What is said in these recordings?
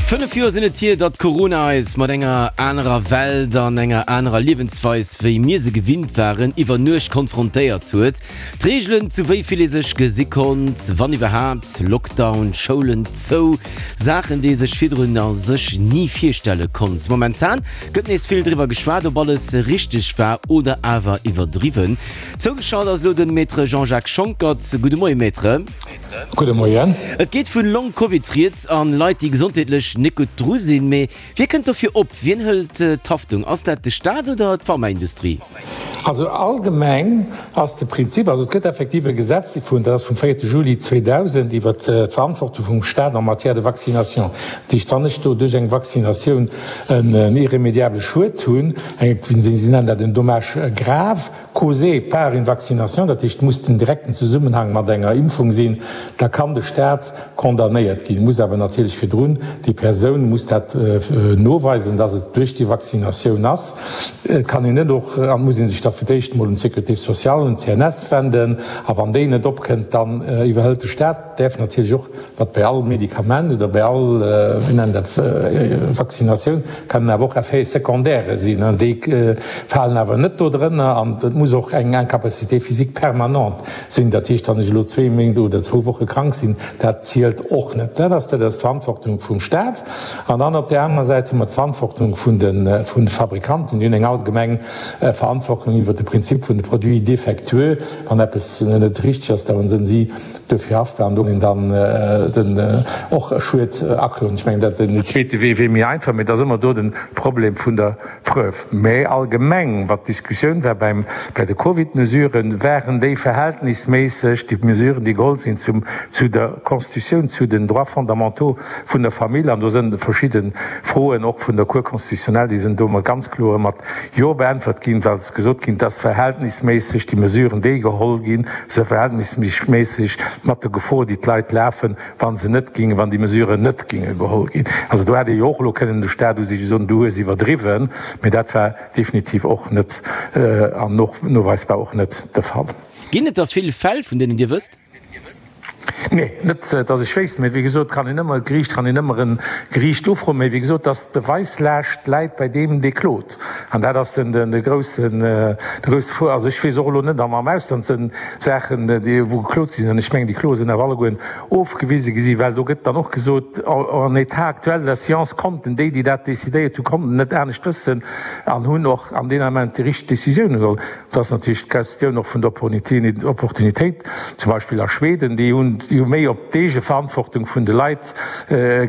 5 Joer sinn et hier, datt Corona eis mat enger anerer Welt an enger anerer Liewensweis, wéi mir se gewinnt waren, iwwer Nuecht konfrontéiert huet. D'Reegelen, zu wéi vill ee sech gesi konnt, wann iwwerhaapt, Lockdown, Schoulen zou, Saachen, déi ee sech virdrun a sech ni virstelle konnt. Momentan gëtt nees vill driwwer geschwat, ob alles richteg war oder awer iwwerdriwwen. Zougeschalt ass elo de Maître Jean-Jacques Schonckert. Gudde Moie Maître. Gudde Moien. Et geet vun Long Covid rieds an Leit déi gesondheetlech net gutt dru sinn. Mee wie kënnt dofir op? Wien hëlt d'Haftung? Ass dat de Staat oder d'Pharmaindustrie? Also allgemeng ass de Prinzip, also et gëtt effektiv e Gesetz vun, dat ass vum 4 Juli 2000, iwwert d'Verantwortung vum Staat en matière de vaccination. Dat heescht, wann ech do duerch eng Vaccinatioun en irrémédiable Schued hunn, eng, wéi si nennen dat, en dommage grave, Causé par une vaccination, dat heescht, et muss den direkten Zesummenhang mat enger Impfung sinn, da kann de Staat condamnéiert ginn, muss awer natierlech virdrun, déi Persoun muss dat noweisen, dass et duerch déi Vaccinatioun ass. Et kann een net och, an et muss ee sech da fir d'éischt emol un d'Sécurité sociale, un d'CNS wenden, a wann déi net opkënnt, dann iwwerhëlt de Staat. Däerf natierlech och, wat bei all Medikament oder bei all, wéi nennt dat, Vaccinatioun, kann awer och Effets secondaires sinn, an déi falen awer net do drënner. An et muss och eng Incapacité physique permanente sinn, dat heescht, wann ech elo zwee Méint oder zwou Woche krank sinn, dat zielt och net. Dat ass dat ass d'Verantwortung vum Staat. An dann op där anerer Säit hu mer d'Verantwortung vun de Fabrikanten. Déi hunn eng allgemeng Verantwortung iwwert de Prinzip vun de Produits défectueux. Wann eppes net richteg ass, da sinn si Duerfir haftbar an do een dann den och e Schued akloen. Ech mengen dat den zweete Wee wier méi einfach, mee et ass ëmmer do den Problem vun der Preuve. Mee allgemeng, wat d'Diskussioun war beim bei de Covid-Mesuren, waren déi verhältnisméisseg, déi Mesuren déi geholl sinn zum zu der Constitutioun, zu den Droits fondamentaux vun der Famill? An do sënn verschidde Froen och vun der Cour constitutionnelle, déi sënn do mat ganz kloer mat Jo beäntwert ginn, well ass gesot ginn, dass verhältnisméisseg déi Mesuren, déi geholl ginn, se verhältnisméisseg mat der Gefor, déi d'Leit lafen, wa se net gingen, wann déi Mesuren net ginge geholl ginn. Also do hätt ee jo och elo kënnen de Stat u sech soen, du hues iwwerdriwwen, mee dat war definitiv och net an noweisbar och net de Fall. Ginn et der vill Fäll, vun deenen Dir wësst? Nee, net datt ech wéisst, mee wéi gesot kann een ëmmer, d'Geriicht kann een ëmmer e Geriicht ufroen, mee wéi gesot, datt d'Beweislaascht läit bei deem, dee klot. An dat ass den de groussen, de grousse Vor. Also ech weess och elo net, am Ausland sënn Saachen, déi wou geklot gi sinn, an ech mengen déi Kloe sinn awer allegueren ofgewise gi sinn, well do gëtt dann och gesot, en état actuel de la science konnten déi, déi dat decidéiert hu konnten net anescht wëssen an hunn och an deen Ament déi richteg Décisioune geholl. Et ass natierlech d'Questioun och vun der Opportunitéit, zum Beispill a Schweden, déi hunn déi hu méi op d'Eegeverantwortung vun de Leit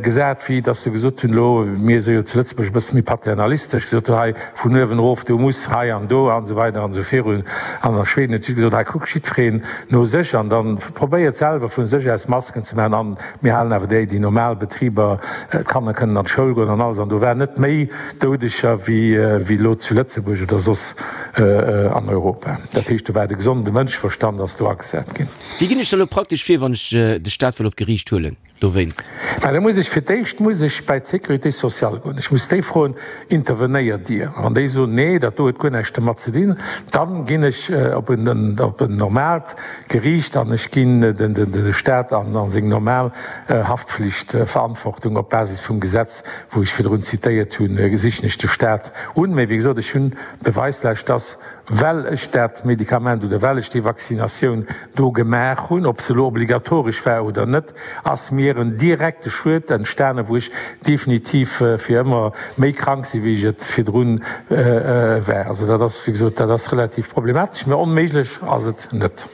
gesat, wéi datt se gesot hunn, elo, mir si jo zu Lëtzebuerg e bësse méi paternalistesch, gesot hu hei vun uewen erof, du muss hei an do an esou weider an esou virun. An a Schweden huet si gesot, hei kuckt jiddwereen no sech an da probéiert selwer vu sech aus Masken ze maachen an mir halen awer déi déi normal Betriber, d'Kanner kënnen an d'Schoul goen an alles. An do war net méi Doudeger wéi elo zu Lëtzebuerg oder soss an Europa. Dat heescht, do war de gesonde Mënscheverstand ass do agesat ginn. Wéi ginn ech da lo praktesch vir, wann ech de Staat wëll op d'Geriicht huelen dowéinst? Mä da muss ech fir d'éischt muss ech bei d'Sécurité sociale goen. Ech muss déi froen, Intervenéiert Dir? A wann déi soen, Nee, dat do huet guer näischt domat ze dinn, dann ginn ech op en op en normaalt Geriicht an ech ginn de Staat an seng normal Haftflichtverantwortung op Basis vum Gesetz, wou ech virdrun zitéiert hunn, sichen ech de Staat un. Mä wéi gesot, ech hunn d'Beweislaascht, dass, well ech dat Medikament oder well ech déi Vaccinatioun do gemaach hunn, ob se elo obligatoresch war oder net, ass mir en direkte Schued entstanen, wou ech definitiv fir ëmmer méi krank sinn, wéi ech et virdrun war. Also dat ass, wéi gesot, dat ass relativ problematesch, mä onméiglech ass et net.